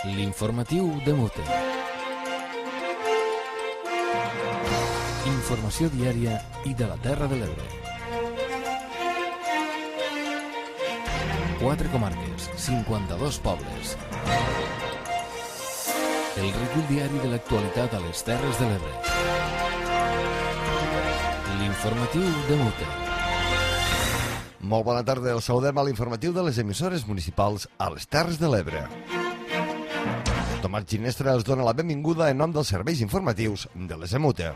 L'informatiu de Mute. Informació diària i de la Terra de l'Ebre. 4 comarques, 52 pobles. El recull diari de l'actualitat a les Terres de l'Ebre. L'informatiu de Mute. Molt bona tarda, el saludem a l'informatiu de les emissores municipals a les Terres de l'Ebre. Tomàs Ginestra els dona la benvinguda en nom dels serveis informatius de les EMUTE.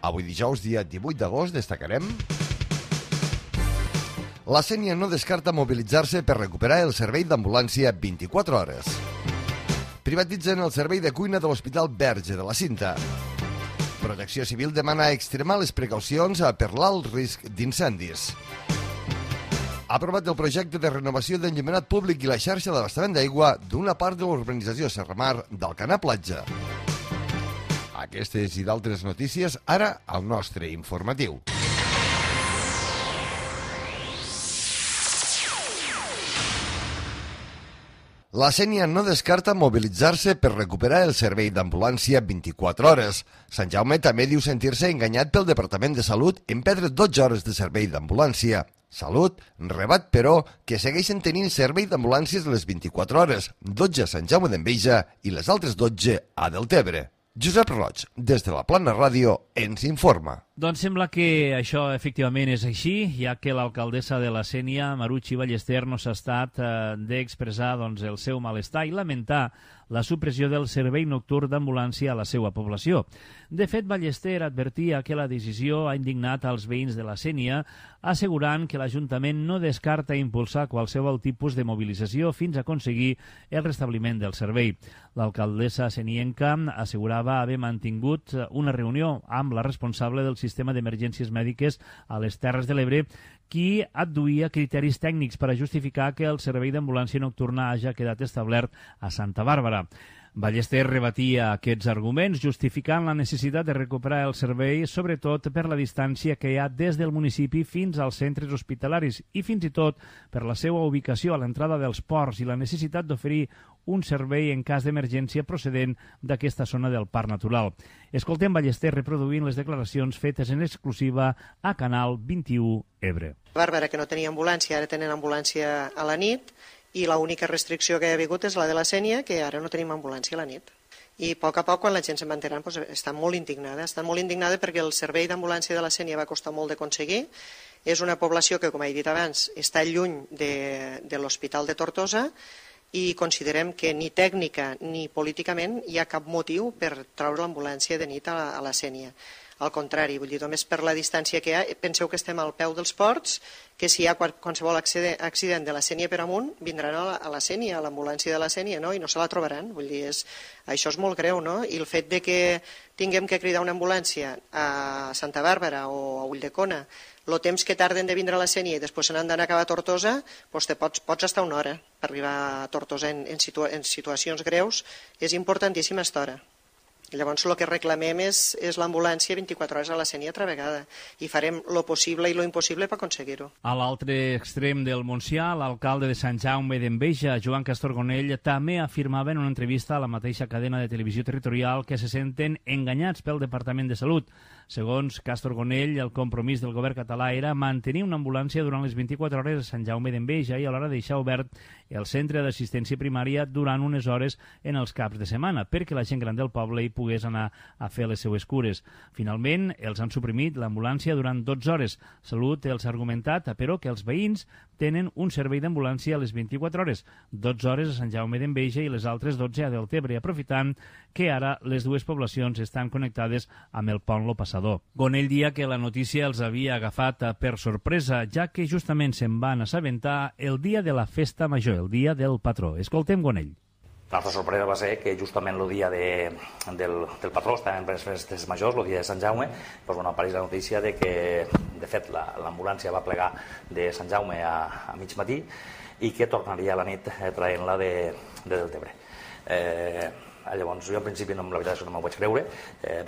Avui dijous, dia 18 d'agost, destacarem: la Sénia no descarta mobilitzar-se per recuperar el servei d'ambulància 24 hores. Privatitzen el servei de cuina de l'Hospital Verge de la Cinta. Protecció Civil demana extremar les precaucions per l'alt risc d'incendis. Ha aprovat el projecte de renovació d'enllumenat públic i la xarxa d'abastament d'aigua d'una part de l'urbanització Serramar d'Alcanar Platja. Aquestes i d'altres notícies ara al nostre informatiu. La Sénia no descarta mobilitzar-se per recuperar el servei d'ambulància 24 hores. Sant Jaume també diu sentir-se enganyat pel Departament de Salut en perdre 12 hores de servei d'ambulància. Salut rebat, però, que segueixen tenint servei d'ambulàncies les 24 hores, 12 a Sant Jaume d'Enveja i les altres 12 a Deltebre. Josep Roig, des de la Plana Ràdio, ens informa. Doncs sembla que això efectivament és així, ja que l'alcaldessa de la Sénia, Marucci Ballester, no s'ha estat d'expressar el seu malestar i lamentar la supressió del servei nocturn d'ambulància a la seva població. De fet, Ballester advertia que la decisió ha indignat als veïns de la Sénia, assegurant que l'Ajuntament no descarta impulsar qualsevol tipus de mobilització fins a aconseguir el restabliment del servei. L'alcaldessa senienca assegurava haver mantingut una reunió amb la responsable del sistema d'emergències mèdiques a les Terres de l'Ebre, qui adduïa criteris tècnics per a justificar que el servei d'ambulància nocturna hagi quedat establert a Santa Bàrbara. Ballester rebatia aquests arguments, justificant la necessitat de recuperar el servei, sobretot per la distància que hi ha des del municipi fins als centres hospitalaris i fins i tot per la seva ubicació a l'entrada dels ports i la necessitat d'oferir un servei en cas d'emergència procedent d'aquesta zona del Parc Natural. Escoltem Ballester reproduint les declaracions fetes en exclusiva a Canal 21 Ebre. Bàrbara, que no tenia ambulància, ara tenen ambulància a la nit, i l'única restricció que hi ha hagut és la de la Sénia, que ara no tenim ambulància a la nit. I a poc, quan la gent se'n va enterant, està molt indignada perquè el servei d'ambulància de la Sénia va costar molt d'aconseguir. És una població que, com he dit abans, està lluny de l'Hospital de Tortosa i considerem que ni tècnica ni políticament hi ha cap motiu per treure l'ambulància de nit a la Sénia. Al contrari, vull dir, només per la distància que hi ha, penseu que estem al peu dels ports, que si hi ha qualsevol accident de la Sénia per amunt, vindran a la Sénia, a l'ambulància de la Sénia, no? I no se la trobaran. Vull dir, això és molt greu, no? I el fet de que tinguem que cridar una ambulància a Santa Bàrbara o a Ulldecona, el temps que tarden de vindre a la Sénia i després se n'han d'anar a acabar a Tortosa, doncs pots estar una hora per arribar a Tortosa en situacions greus. És importantíssima aquesta hora. Llavors el que reclamem és l'ambulància 24 hores a la Sénia altra vegada i farem lo possible i lo impossible per aconseguir-ho. A l'altre extrem del Montsià, l'alcalde de Sant Jaume d'Enveja, Joan Castorgonell, també afirmava en una entrevista a la mateixa cadena de televisió territorial que se senten enganyats pel Departament de Salut. Segons Castorgonell, el compromís del govern català era mantenir una ambulància durant les 24 hores a Sant Jaume d'Enveja i alhora deixar obert el centre d'assistència primària durant unes hores en els caps de setmana, perquè la gent gran del poble hi pogués anar a fer les seues cures. Finalment, els han suprimit l'ambulància durant 12 hores. Salut els ha argumentat, però, que els veïns tenen un servei d'ambulància a les 24 hores, 12 hores a Sant Jaume d'Enveja i les altres 12 a Deltebre, aprofitant que ara les dues poblacions estan connectades amb el pont Lo Passador. Gonell dia que la notícia els havia agafat per sorpresa, ja que justament se'n van assabentar el dia de la festa major, el dia del patró. Escoltem Gonell. La nostra sorpresa va ser que justament el dia del patró, estàvem per les festes majors, el dia de Sant Jaume, apareix la notícia de que, de fet, l'ambulància va plegar de Sant Jaume a mig matí i que tornaria a la nit traient-la de Deltebre. Llavors, jo en principi la veritat és que no m'ho vaig creure.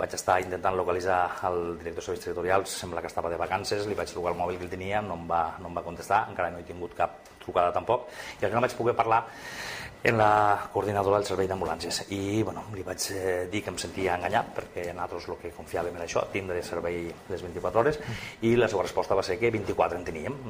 Vaig estar intentant localitzar el director de serveis territorials, sembla que estava de vacances, li vaig trucar el mòbil que el tenia, no em va contestar, encara no he tingut cap trucada tampoc, i al final vaig poder parlar en la coordinadora del servei d'ambulàncies i li vaig dir que em sentia enganyat perquè nosaltres el que confiàvem era això, tindre servei les 24 hores, i la seva resposta va ser que 24 en teníem,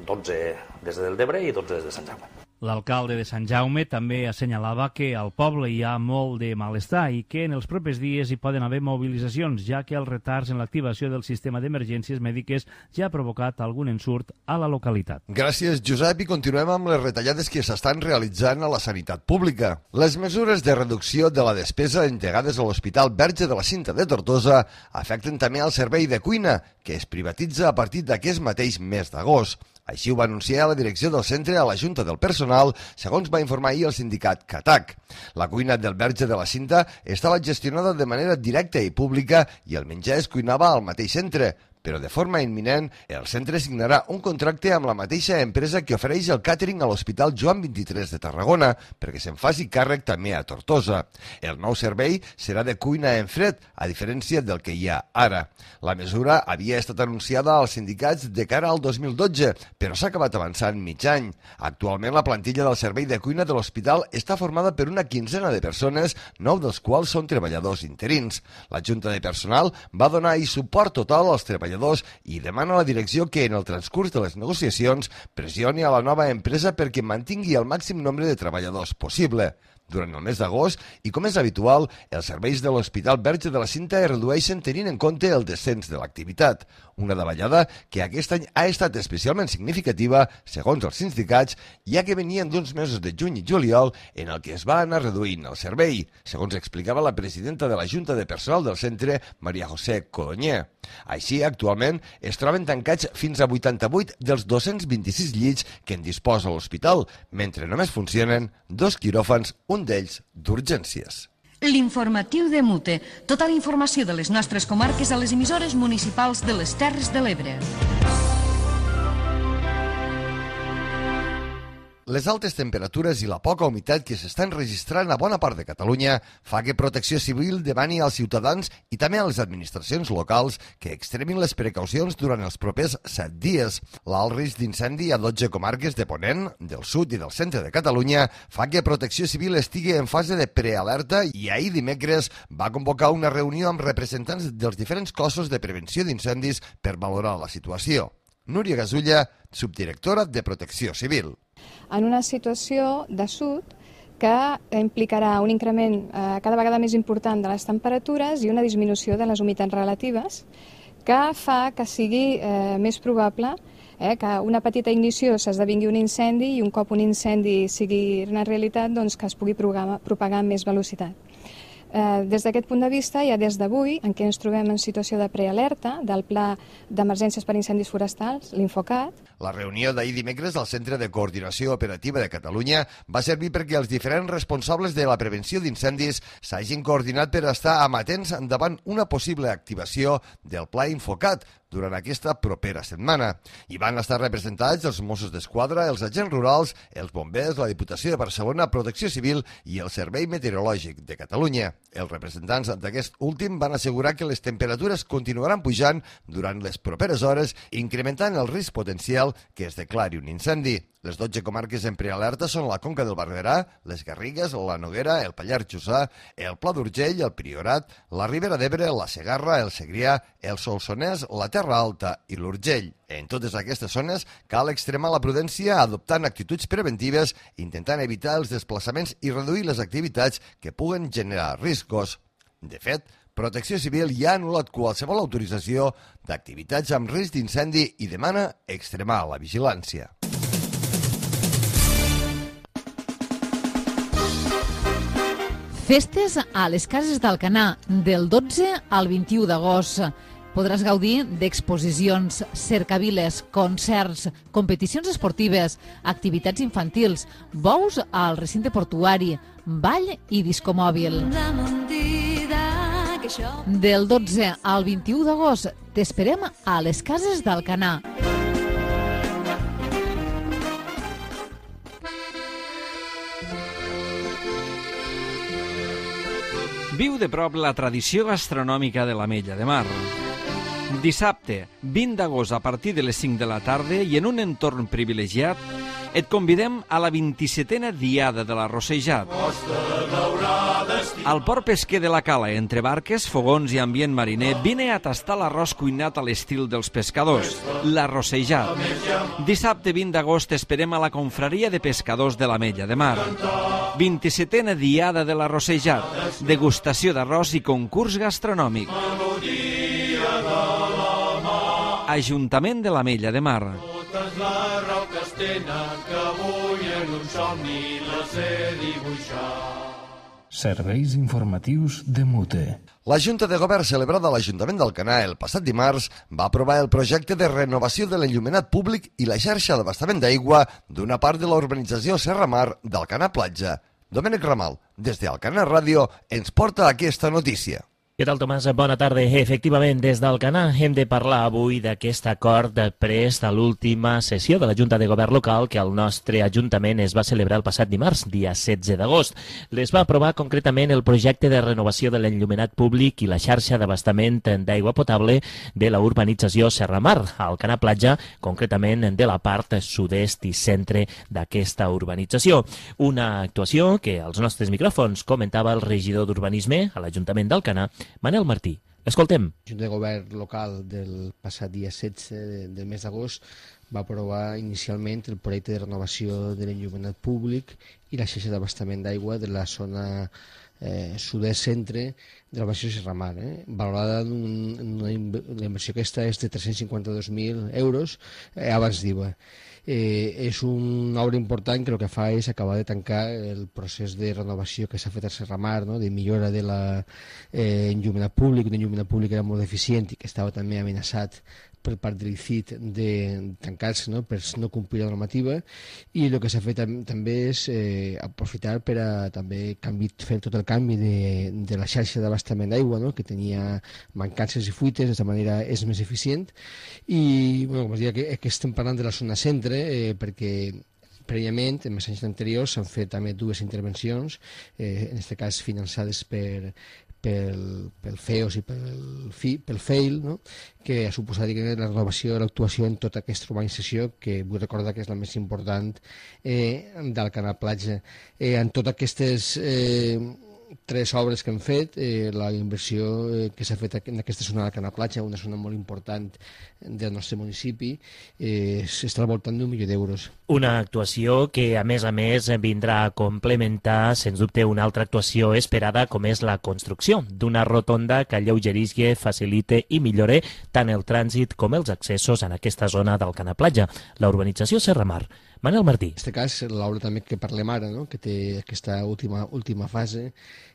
12 des del Debre i 12 des de Sant Jaume. L'alcalde de Sant Jaume també assenyalava que al poble hi ha molt de malestar i que en els propers dies hi poden haver mobilitzacions, ja que els retards en l'activació del sistema d'emergències mèdiques ja ha provocat algun ensurt a la localitat. Gràcies, Josep, i continuem amb les retallades que s'estan realitzant a la sanitat pública. Les mesures de reducció de la despesa entregades a l'Hospital Verge de la Cinta de Tortosa afecten també el servei de cuina, que es privatitza a partir d'aquest mateix mes d'agost. Així ho va anunciar la direcció del centre a la Junta del Personal, segons va informar ahir el sindicat CATAC. La cuina del Verge de la Cinta estava gestionada de manera directa i pública i el menjar es cuinava al mateix centre, però de forma imminent el centre signarà un contracte amb la mateixa empresa que ofereix el càtering a l'Hospital Joan 23 de Tarragona perquè se'n faci càrrec també a Tortosa. El nou servei serà de cuina en fred, a diferència del que hi ha ara. La mesura havia estat anunciada als sindicats de cara al 2012, però s'ha acabat avançant mig any. Actualment la plantilla del servei de cuina de l'hospital està formada per una quinzena de persones, 9 dels quals són treballadors interins. La Junta de Personal va donar suport total als treballadors i demana a la direcció que en el transcurs de les negociacions pressioni a la nova empresa perquè mantingui el màxim nombre de treballadors possible. Durant el mes d'agost, i com és habitual, els serveis de l'Hospital Verge de la Cinta es redueixen tenint en compte el descens de l'activitat. Una davallada que aquest any ha estat especialment significativa, segons els sindicats, ja que venien d'uns mesos de juny i juliol en el que es va anar reduint el servei, segons explicava la presidenta de la Junta de Personal del centre, Maria José Codonyer. Així, actualment, es troben tancats fins a 88 dels 226 llits que en disposa l'hospital, mentre només funcionen 2 quiròfans, un d'ells d'urgències. L'informatiu de Mute. Tota la informació de les nostres comarques a les emissores municipals de les Terres de l'Ebre. Les altes temperatures i la poca humitat que s'estan registrant a bona part de Catalunya fa que Protecció Civil demani als ciutadans i també a les administracions locals que extremin les precaucions durant els propers 7 dies. L'alt risc d'incendi a 12 comarques de Ponent, del sud i del centre de Catalunya fa que Protecció Civil estigui en fase de prealerta i ahir dimecres va convocar una reunió amb representants dels diferents cossos de prevenció d'incendis per valorar la situació. Núria Gasulla, subdirectora de Protecció Civil. En una situació d'assut que implicarà un increment cada vegada més important de les temperatures i una disminució de les humitats relatives que fa que sigui més probable que una petita ignició s'esdevingui un incendi i un cop un incendi sigui una realitat doncs, que es pugui propagar amb més velocitat. Des d'aquest punt de vista, ja des d'avui, en què ens trobem en situació de prealerta del Pla d'Emergències per Incendis Forestals, l'Infocat. La reunió d'ahir dimecres al Centre de Coordinació Operativa de Catalunya va servir perquè els diferents responsables de la prevenció d'incendis s'hagin coordinat per estar amatents davant una possible activació del Pla Infocat durant aquesta propera setmana. Hi van estar representats els Mossos d'Esquadra, els agents rurals, els bombers, la Diputació de Barcelona, Protecció Civil i el Servei Meteorològic de Catalunya. Els representants d'aquest últim van assegurar que les temperatures continuaran pujant durant les properes hores, incrementant el risc potencial que es declari un incendi. Les 12 comarques en prealerta són la Conca del Barberà, les Garrigues, la Noguera, el Pallars Jussà, el Pla d'Urgell, el Priorat, la Ribera d'Ebre, la Segarra, el Segrià, el Solsonès, la Terra Alta i l'Urgell. En totes aquestes zones cal extremar la prudència adoptant actituds preventives, intentant evitar els desplaçaments i reduir les activitats que puguen generar riscos. De fet, Protecció Civil ja ha anul·lat qualsevol autorització d'activitats amb risc d'incendi i demana extremar la vigilància. Festes a les Cases d'Alcanar, del 12 al 21 d'agost. Podràs gaudir d'exposicions, cercaviles, concerts, competicions esportives, activitats infantils, bous al recinte portuari, ball i discomòbil. Del 12 al 21 d'agost t'esperem a les Cases d'Alcanar. Viu de prop la tradició gastronòmica de l'Ametlla de Mar. Dissabte, 20 d'agost, a partir de les 5 de la tarda i en un entorn privilegiat, et convidem a la 27a Diada de l'Arrossejat. Al port pesquer de la Cala, entre barques, fogons i ambient mariner, vine a tastar l'arròs cuinat a l'estil dels pescadors, l'Arrossejat. Dissabte 20 d'agost esperem a la confraria de pescadors de l'Ametlla de Mar. 27a Diada de l'Arrossejat, degustació d'arròs i concurs gastronòmic. Ajuntament de l'Ametlla de Mar. Totes la raó que es tenen, que avui en un somni la sé dibuixar. Serveis informatius de Mute. La Junta de Govern celebrada a l'Ajuntament d'Alcanar el passat dimarts va aprovar el projecte de renovació de l'enllumenat públic i la xarxa d'abastament d'aigua d'una part de la urbanització Serra Mar d'Alcanar Platja. Domènec Ramal, des d'Alcanar Ràdio, ens porta aquesta notícia. Què tal, Tomàs? Bona tarda. Efectivament, des d'Alcanar hem de parlar avui d'aquest acord pres a l'última sessió de la Junta de Govern local que al nostre Ajuntament es va celebrar el passat dimarts, dia 16 d'agost. Les va aprovar concretament el projecte de renovació de l'enllumenat públic i la xarxa d'abastament d'aigua potable de la urbanització Serra Mar, a Alcanar Platja, concretament de la part sud-est i centre d'aquesta urbanització. Una actuació que als nostres micròfons comentava el regidor d'Urbanisme a l'Ajuntament d'Alcanar, Manel Martí. Escoltem. La Junta de Govern local del passat dia 16 del mes d'agost va aprovar inicialment el projecte de renovació de l'enllumenat públic i la xarxa d'abastament d'aigua de la zona sud-est centre de la Baixada Serra Mar, valorada la inversió aquesta és de 352.000 euros abans d'IVA. És una obra important que el que fa és acabar de tancar el procés de renovació que s'ha fet a Serra Mar, no? De millora de l'enllumenat públic, un enllumenat públic que era molt deficient i que estava també amenaçat per part de l'ICIT de tancar-se, no? Per no complir la normativa, i el que s'ha fet també és aprofitar per a també fer tot el canvi de la xarxa d'abastament d'aigua, no? Que tenia mancances i fuites, d'aquesta manera és més eficient. I com es deia, que estem parlant de la zona centre perquè prèviament, en els anys anteriors, s'han fet també dues intervencions, en aquest cas finançades pel FEOS i pel FEIL, no? Que ha suposat la renovació de l'actuació en tota aquesta urbanització, que vull recordar que és la més important d'Alcanar Platja. En totes aquestes tres obres que hem fet, la inversió que s'ha fet en aquesta zona d'Alcanar Platja, una zona molt important del nostre municipi, s'està al voltant d'1 milió d'euros. Una actuació que, a més, vindrà a complementar, sens dubte, una altra actuació esperada, com és la construcció d'una rotonda que alleugerisca, facilite i millore tant el trànsit com els accessos en aquesta zona d'Alcanar Platja, la urbanització Serra Mar. Manel Martí. En aquest cas, l'obra també que parlem ara, no? Que té aquesta última fase,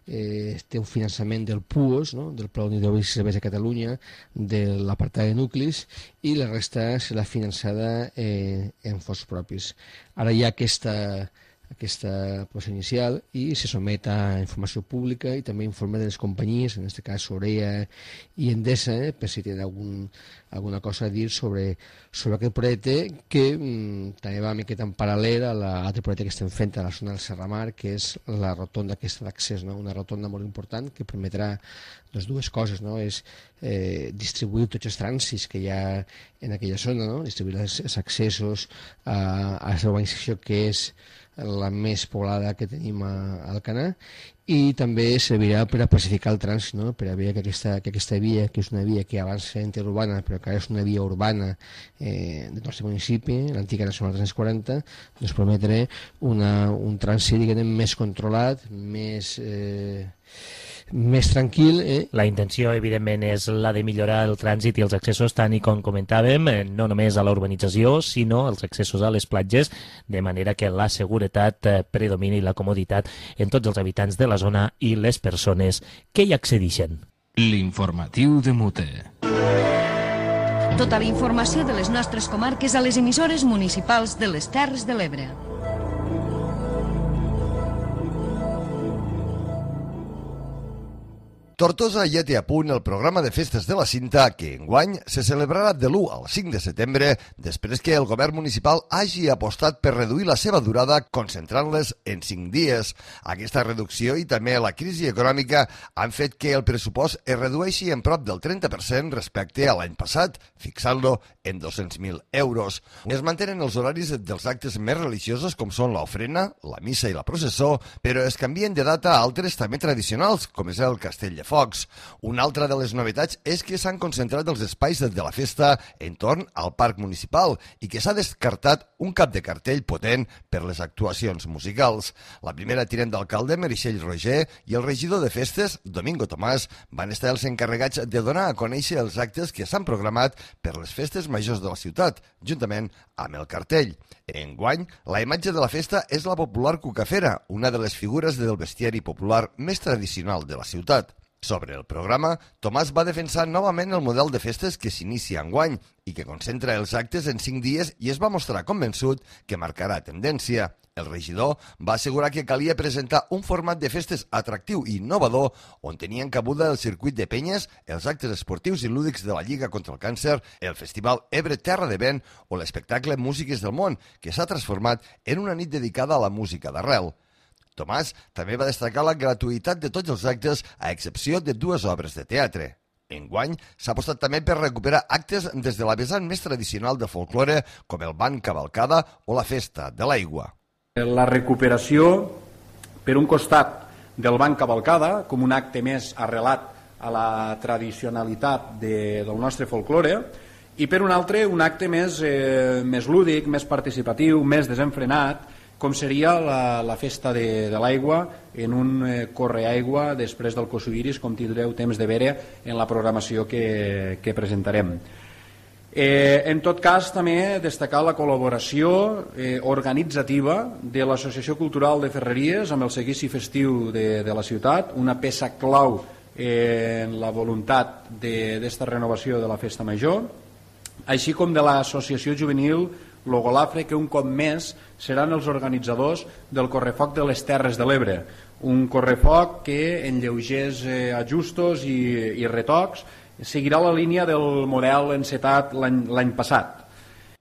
té un finançament del PUOS, no? Del Pla d'Hidràulics i Serveis de Catalunya, de l'apartat de nuclis, i la resta serà finançada en fons propis. Ara hi ha aquesta aprovació inicial i se somet a informació pública i també informe de les companyies, en aquest cas Sorea i Endesa, per si tenen alguna cosa a dir sobre aquest projecte, que també va una miqueta en paral·lel a l'altre projecte que estem fent a la zona del Serra Mar, que és la rotonda aquesta d'accés, no? Una rotonda molt important que permetrà dues coses, no? És distribuir tots els trànsits que hi ha en aquella zona, no? Distribuir els accessos a la urbanització que és la més poblada que tenim a Alcanar, i també servirà per a pacificar el trànsit, no? Per a veure que aquesta via, que és una via que abans era interurbana, però que ara és una via urbana del nostre municipi, l'antiga Nacional 340, doncs permetrà un trànsit, diguem, més controlat, més tranquil. La intenció, evidentment, és la de millorar el trànsit i els accessos, tant i com comentàvem, no només a la urbanització, sinó els accessos a les platges, de manera que la seguretat predomini i la comoditat en tots els habitants de la zona i les persones que hi accedeixen. L'informatiu de Mute. Tota la informació de les nostres comarques a les emissores municipals de les Terres de l'Ebre. Tortosa ja té a punt el programa de festes de la Cinta que enguany se celebrarà de l'1 al 5 de setembre després que el govern municipal hagi apostat per reduir la seva durada concentrant-les en 5 dies. Aquesta reducció i també la crisi econòmica han fet que el pressupost es redueixi en prop del 30% respecte a l'any passat, fixant-lo en 200.000 euros. Es mantenen els horaris dels actes més religiosos com són l'ofrena, la missa i la processó, però es canvien de data a altres també tradicionals, com és el Castell de Focs. Una altra de les novetats és que s'han concentrat els espais de la festa entorn al parc municipal i que s'ha descartat un cap de cartell potent per les actuacions musicals. La primera tinent d'alcalde, Meritxell Roger, i el regidor de festes, Domingo Tomàs, van estar els encarregats de donar a conèixer els actes que s'han programat per les festes majors de la ciutat, juntament amb el cartell. Enguany, la imatge de la festa és la popular cucafera, una de les figures del bestiari popular més tradicional de la ciutat. Sobre el programa, Tomàs va defensar novament el model de festes que s'inicia enguany i que concentra els actes en 5 dies i es va mostrar convençut que marcarà tendència. El regidor va assegurar que calia presentar un format de festes atractiu i innovador on tenien cabuda el circuit de penyes, els actes esportius i lúdics de la Lliga contra el Càncer, el Festival Ebre Terra de Vent o l'espectacle Músiques del Món, que s'ha transformat en una nit dedicada a la música d'arrel. Tomàs també va destacar la gratuïtat de tots els actes, a excepció de 2 obres de teatre. Enguany s'ha apostat també per recuperar actes des de la vessant més tradicional del folklore, com el Ball Cavalcada o la Festa de l'Aigua. La recuperació, per un costat, del Ball Cavalcada, com un acte més arrelat a la tradicionalitat del nostre folklore, i per un altre, un acte més lúdic, més participatiu, més desenfrenat, com seria la festa de l'aigua en un correaigua després del Cosuiris, com tindreu temps de veure en la programació que presentarem. En tot cas, també destacar la col·laboració organitzativa de l'Associació Cultural de Ferreries amb el seguici festiu de la ciutat, una peça clau en la voluntat d'esta renovació de la festa major, així com de l'Associació Juvenil Logolafre, que un cop més seran els organitzadors del Correfoc de les Terres de l'Ebre, un correfoc que en lleugers ajustos i retocs seguirà la línia del model encetat l'any passat.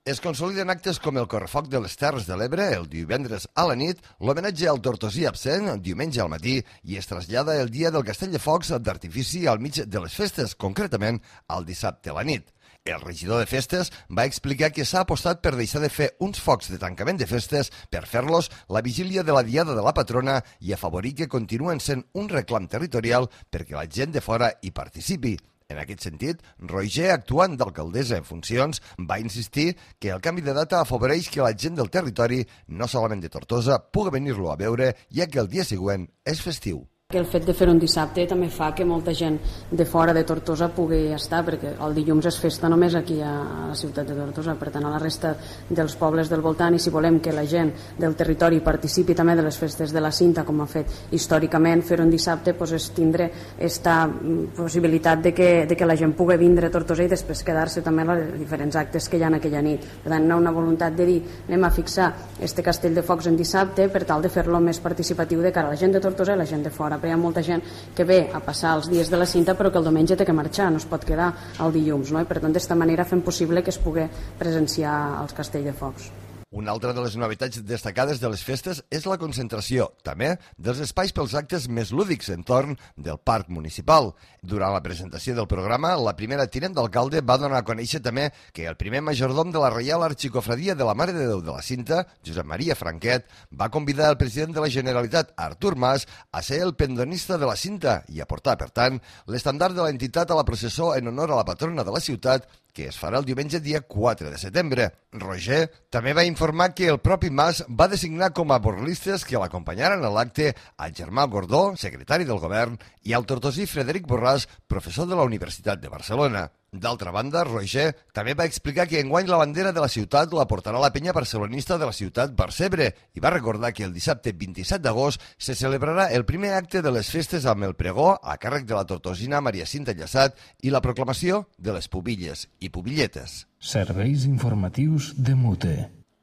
Es consoliden actes com el Correfoc de les Terres de l'Ebre el divendres a la nit, l'homenatge al tortosí absent diumenge al matí i es trasllada el dia del Castell de Focs d'artifici al mig de les festes, concretament el dissabte a la nit. El regidor de festes va explicar que s'ha apostat per deixar de fer uns focs de tancament de festes per fer-los la vigília de la Diada de la Patrona i afavorir que continuen sent un reclam territorial perquè la gent de fora hi participi. En aquest sentit, Roger, actuant d'alcaldessa en funcions, va insistir que el canvi de data afavoreix que la gent del territori, no solament de Tortosa, pugui venir-lo a veure, ja que el dia següent és festiu. Que el fet de fer un dissabte també fa que molta gent de fora de Tortosa pugui estar, perquè el dilluns és festa només aquí a la ciutat de Tortosa, per tant a la resta dels pobles del voltant, i si volem que la gent del territori participi també de les festes de la Cinta, com ha fet històricament, fer un dissabte és tindre aquesta possibilitat de que la gent pugui vindre a Tortosa i després quedar-se també als diferents actes que hi ha aquella nit. Per tant, una voluntat de dir anem a fixar este Castell de Focs en dissabte per tal de fer-lo més participatiu de cara a la gent de Tortosa i la gent de fora. Hi ha molta gent que ve a passar els dies de la Cinta però que el diumenge té que marxar, no es pot quedar el dilluns, no? I per tant d'esta manera fem possible que es pugui presenciar els Castell de Focs. Una altra de les novetats destacades de les festes és la concentració, també, dels espais pels actes més lúdics entorn del parc municipal. Durant la presentació del programa, la primera tinent d'alcalde va donar a conèixer també que el primer majordom de la Reial Arxicofradia de la Mare de Déu de la Cinta, Josep Maria Franquet, va convidar el president de la Generalitat, Artur Mas, a ser el pendonista de la Cinta i a portar, per tant, l'estandard de l'entitat a la processó en honor a la patrona de la ciutat, que es farà el diumenge dia 4 de setembre. Roger també va informar que el propi Mas va designar com a borlistes que l'acompanyaren a l'acte al Germà Gordó, secretari del govern, i al tortosí Frederic Borràs, professor de la Universitat de Barcelona. D'altra banda, Roger també va explicar que enguany la bandera de la ciutat la portarà la penya barcelonista de la ciutat Barcebre i va recordar que el dissabte 27 d'agost se celebrarà el primer acte de les festes amb el pregó a càrrec de la tortosina Maria Cinta Llaçat i la proclamació de les pubilles i pubilletes. Serveis informatius de Mute.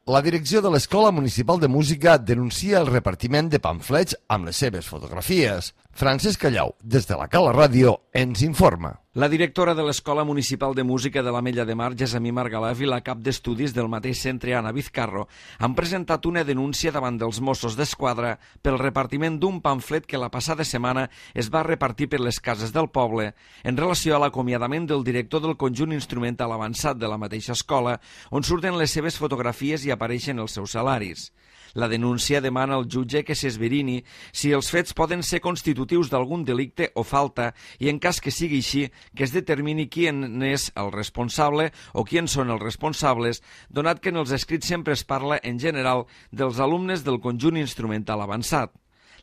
La direcció de l'Escola Municipal de Música denuncia el repartiment de pamflets amb les seves fotografies. Francesc Callau, des de la Cala Ràdio, ens informa. La directora de l'Escola Municipal de Música de l'Ametlla de Mar, Gessamí Margalef, i la cap d'estudis del mateix centre, Anna Vizcarro, han presentat una denúncia davant dels Mossos d'Esquadra pel repartiment d'un pamflet que la passada setmana es va repartir per les cases del poble en relació a l'acomiadament del director del conjunt instrumental avançat de la mateixa escola, on surten les seves fotografies i apareixen els seus salaris. La denúncia demana al jutge que s'esverini si els fets poden ser constitutius d'algun delicte o falta i, en cas que sigui així, que es determini qui és el responsable o qui en són els responsables, donat que en els escrits sempre es parla, en general, dels alumnes del conjunt instrumental avançat.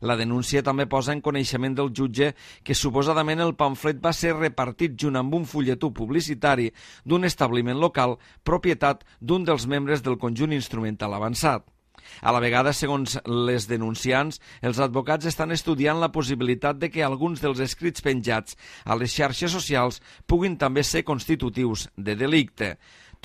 La denúncia també posa en coneixement del jutge que suposadament el pamflet va ser repartit junt amb un fulletó publicitari d'un establiment local, propietat d'un dels membres del conjunt instrumental avançat. A la vegada, segons les denunciants, els advocats estan estudiant la possibilitat de que alguns dels escrits penjats a les xarxes socials puguin també ser constitutius de delicte.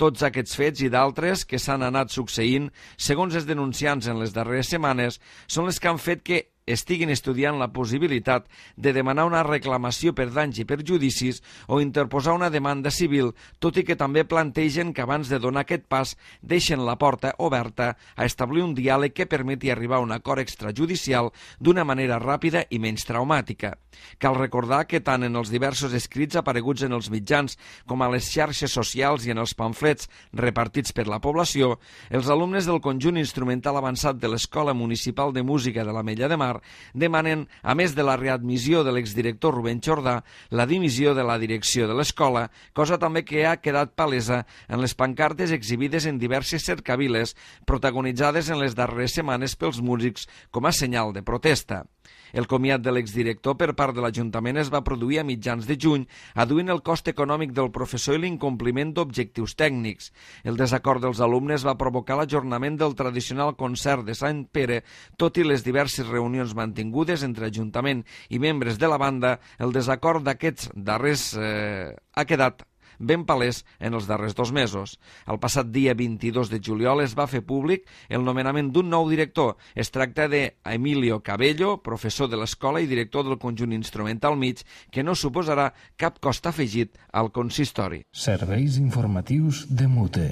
Tots aquests fets i d'altres que s'han anat succeint, segons els denunciants en les darreres setmanes, són les que han fet que estiguin estudiant la possibilitat de demanar una reclamació per danys i perjudicis o interposar una demanda civil, tot i que també plantegen que abans de donar aquest pas deixen la porta oberta a establir un diàleg que permeti arribar a un acord extrajudicial d'una manera ràpida i menys traumàtica. Cal recordar que tant en els diversos escrits apareguts en els mitjans com a les xarxes socials i en els pamflets repartits per la població, els alumnes del conjunt instrumental avançat de l'Escola Municipal de Música de l'Ametlla de Mar demanen, a més de la readmissió de l'exdirector Rubén Jordà, la dimissió de la direcció de l'escola, cosa també que ha quedat palesa en les pancartes exhibides en diverses cercaviles protagonitzades en les darreres setmanes pels músics com a senyal de protesta. El comiat de l'exdirector per part de l'Ajuntament es va produir a mitjans de juny, adduint el cost econòmic del professor i l'incompliment d'objectius tècnics. El desacord dels alumnes va provocar l'ajornament del tradicional concert de Sant Pere, tot i les diverses reunions mantingudes entre Ajuntament i membres de la banda. El desacord d'aquests darrers ha quedat ben palès en els darrers 2 mesos. El passat dia 22 de juliol es va fer públic el nomenament d'un nou director. Es tracta d'Emilio Cabello, professor de l'escola i director del conjunt instrumental mig, que no suposarà cap cost afegit al consistori. Serveis informatius de Mute.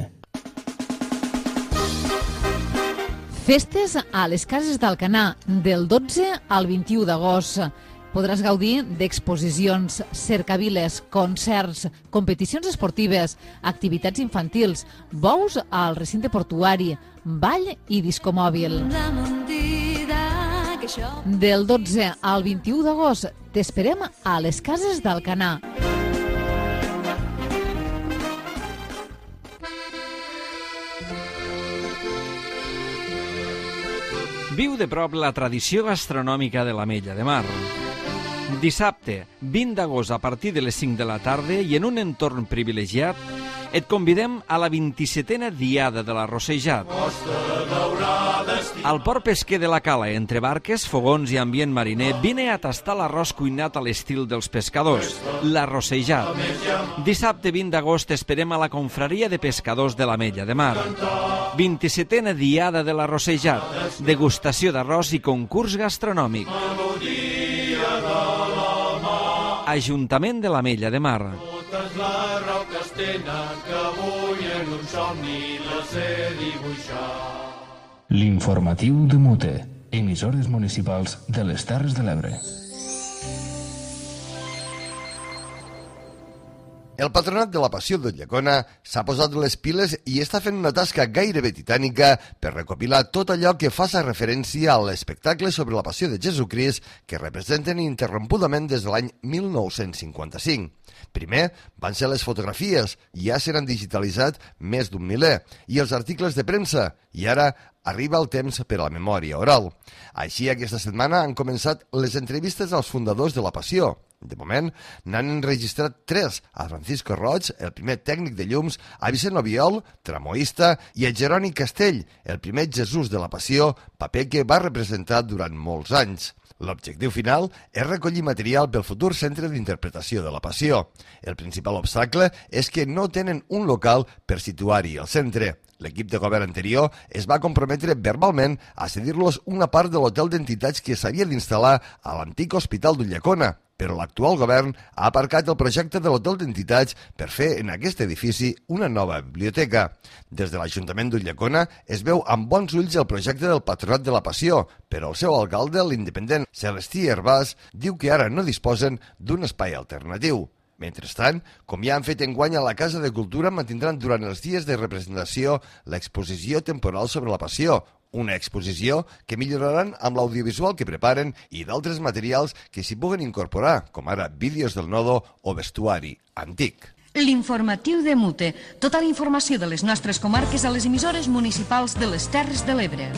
Festes a les cases d'Alcanar del 12 al 21 d'agost. Podràs gaudir d'exposicions, cercaviles, concerts, competicions esportives, activitats infantils, bous al recinte portuari, ball i discomòbil. Del 12 al 21 d'agost t'esperem a les cases d'Alcanar. Viu de prop la tradició gastronòmica de l'Ametlla de Mar. Dissabte, 20 d'agost, a partir de les 5 de la tarda i en un entorn privilegiat, et convidem a la 27a Diada de l'Arrossejat. Al port pesquer de la Cala, entre barques, fogons i ambient mariner, vine a tastar l'arròs cuinat a l'estil dels pescadors, l'Arrossejat. Dissabte 20 d'agost esperem a la confraria de pescadors de l'Ametlla de Mar. 27a Diada de l'Arrossejat, degustació d'arròs i concurs gastronòmic. Ajuntament de l'Ametlla de Mar. Totes les roques tenen que avui en un somni les he dibuixat. L'informatiu de Mute. Emissores municipals de les Terres de l'Ebre. El Patronat de la Passió de Llecona s'ha posat les piles i està fent una tasca gairebé titànica per recopilar tot allò que faça referència a l'espectacle sobre la Passió de Jesucrist que representen ininterrompudament des de l'any 1955. Primer van ser les fotografies, ja s'han digitalitzat més d'un miler, i els articles de premsa, i ara arriba el temps per a la memòria oral. Així, aquesta setmana han començat les entrevistes als fundadors de la Passió, De moment, n'han enregistrat 3 a Francisco Roig, el primer tècnic de llums, a Vicent Obiol, tramoista, i a Jeroni Castell, el primer Jesús de la Passió, paper que va representar durant molts anys. L'objectiu final és recollir material pel futur centre d'interpretació de la Passió. El principal obstacle és que no tenen un local per situar-hi el centre. L'equip de govern anterior es va comprometre verbalment a cedir-los una part de l'hotel d'entitats que s'havia d'instal·lar a l'antic hospital d'Ulldecona, però l'actual govern ha aparcat el projecte de l'hotel d'entitats per fer en aquest edifici una nova biblioteca. Des de l'Ajuntament d'Ulldecona es veu amb bons ulls el projecte del Patronat de la Passió, però el seu alcalde, l'independent Celestí Hervàs, diu que ara no disposen d'un espai alternatiu. Mentrestant, com ja han fet enguany a la Casa de Cultura, mantindran durant els dies de representació l'exposició temporal sobre la Passió, una exposició que milloraran amb l'audiovisual que preparen i d'altres materials que s'hi puguen incorporar, com ara vídeos del nodo o vestuari antic. L'informatiu de Mute. Tota la informació de les nostres comarques a les emissores municipals de les Terres de l'Ebre.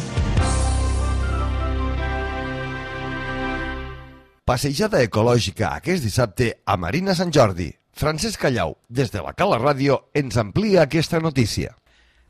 Passejada ecològica aquest dissabte a Marina Sant Jordi. Francesc Callau, des de la Cala Ràdio, ens amplia aquesta notícia.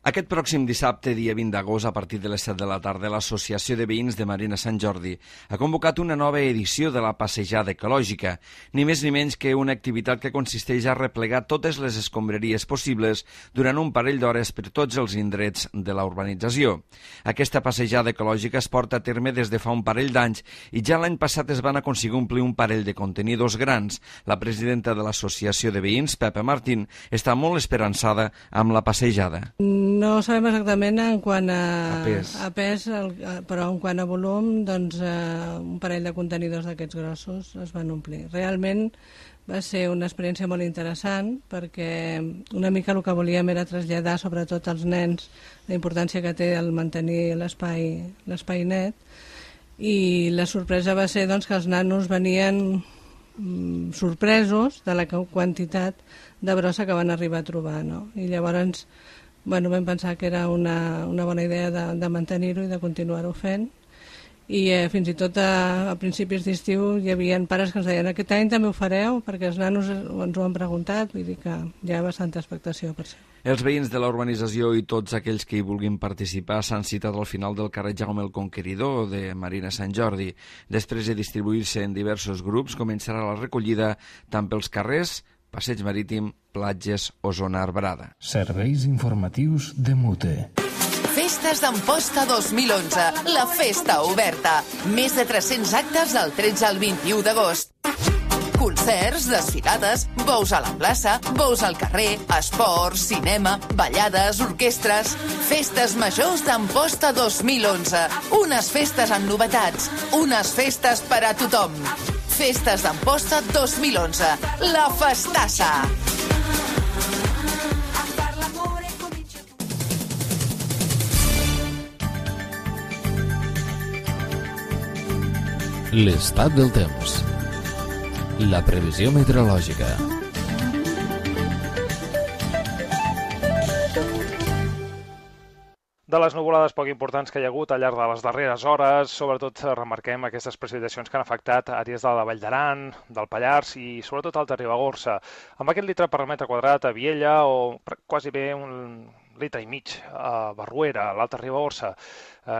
Aquest pròxim dissabte, dia 20 d'agost, a partir de les 7 de la tarda, l'Associació de Veïns de Marina Sant Jordi ha convocat una nova edició de la Passejada Ecològica, ni més ni menys que una activitat que consisteix a replegar totes les escombraries possibles durant un parell d'hores per tots els indrets de la urbanització. Aquesta passejada ecològica es porta a terme des de fa un parell d'anys i ja l'any passat es van aconseguir omplir un parell de contenidors grans. La presidenta de l'Associació de Veïns, Pepa Martín, està molt esperançada amb la passejada. No sabem exactament en quant a pes, però en quant a volum, doncs un parell de contenidors d'aquests grossos es van omplir. Realment va ser una experiència molt interessant perquè una mica el que volíem era traslladar sobretot als nens la importància que té el mantenir l'espai net, i la sorpresa va ser doncs, que els nanos venien sorpresos de la quantitat de brossa que van arribar a trobar, no? I llavors vam pensar que era una bona idea de mantenir-ho i de continuar-ho fent, i fins i tot a principis d'estiu hi havia pares que ens deien aquest any també ho fareu, perquè els nanos ens ho han preguntat, vull dir que hi ha bastanta expectació per això. Els veïns de la urbanització i tots aquells que hi vulguin participar s'han citat al final del carrer Jaume el Conqueridor de Marina Sant Jordi. Després de distribuir-se en diversos grups, començarà la recollida tant pels carrers, Passeig Marítim, platges o zona arbrada. Serveis informatius de Mute. Festes d'Amposta 2011, la festa oberta. Més de 300 actes del 13 al 21 d'agost. Concerts, desfilades, bous a la plaça, bous al carrer, esports, cinema, ballades, orquestres... Festes majors d'Amposta 2011. Unes festes amb novetats, unes festes per a tothom. Festes d'Amposta 2011, la festassa. L'estat del temps. La previsió meteorològica. De les nuvolades poc importants que hi ha hagut al llarg de les darreres hores, sobretot remarquem aquestes precipitacions que han afectat àrees de la Vall d'Aran, del Pallars i sobretot Alta Ribagorça. Amb aquest litre per metre quadrat a Viella o quasi bé un litre i mig a Barruera, a l'Alta Ribagorça,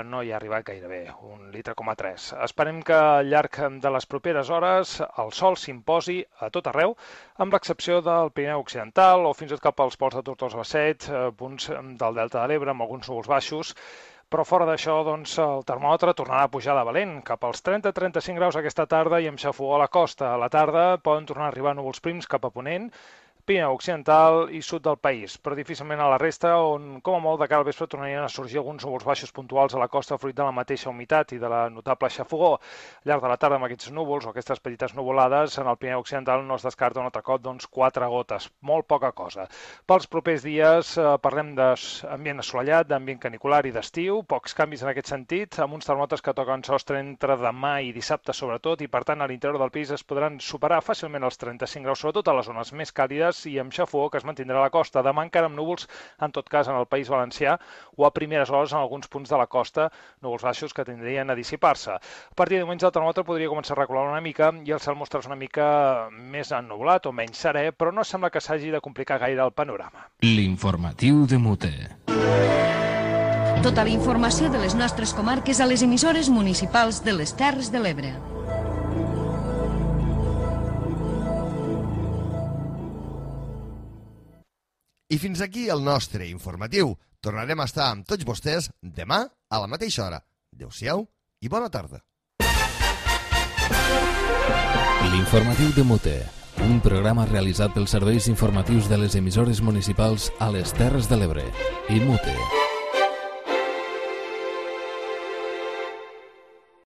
no hi ha arribat gairebé, 1,3 litres. Esperem que al llarg de les properes hores el sol s'imposi a tot arreu, amb l'excepció del Pirineu Occidental o fins i tot cap als ports de Tortosa-Basset, punts del Delta de l'Ebre amb alguns núvols baixos, però fora d'això doncs, el termòmetre tornarà a pujar de valent, cap als 30-35 graus aquesta tarda i amb xafogó a la costa. A la tarda poden tornar a arribar núvols prims cap a ponent, Pirineu Occidental i sud del país, però difícilment a la resta, on com a molt de cara al vespre tornarien a sorgir alguns núvols baixos puntuals a la costa fruit de la mateixa humitat i de la notable xafogó. Al llarg de la tarda amb aquests núvols o aquestes petites nuvolades, en el Pirineu Occidental no es descarta un altre cop 4 gotes, molt poca cosa. Pels propers dies parlem d'ambient assolellat, d'ambient canicular i d'estiu, pocs canvis en aquest sentit, amb uns termòmetres que toquen sostre entre demà i dissabte sobretot, i per tant a l'interior del país es podran superar fàcilment els 35 graus, sobretot a les zones més càlides, boires i amb xafó que es mantindrà a la costa. Demà encara amb núvols, en tot cas, en el País Valencià o a primeres hores en alguns punts de la costa, núvols baixos que tindrien a dissipar-se. A partir de diumenge el termòmetre podria començar a recular una mica i el cel mostrar una mica més ennublat o menys serè, però no sembla que s'hagi de complicar gaire el panorama. L'informatiu de Mute. Tota la informació de les nostres comarques a les emissores municipals de les Terres de l'Ebre. I fins aquí el nostre informatiu. Tornarem a estar amb tots vostès demà a la mateixa hora. Adéu-siau i bona tarda. L'informatiu de Mute, un programa realitzat pels serveis informatius de les emissores municipals a les Terres de l'Ebre i Mute.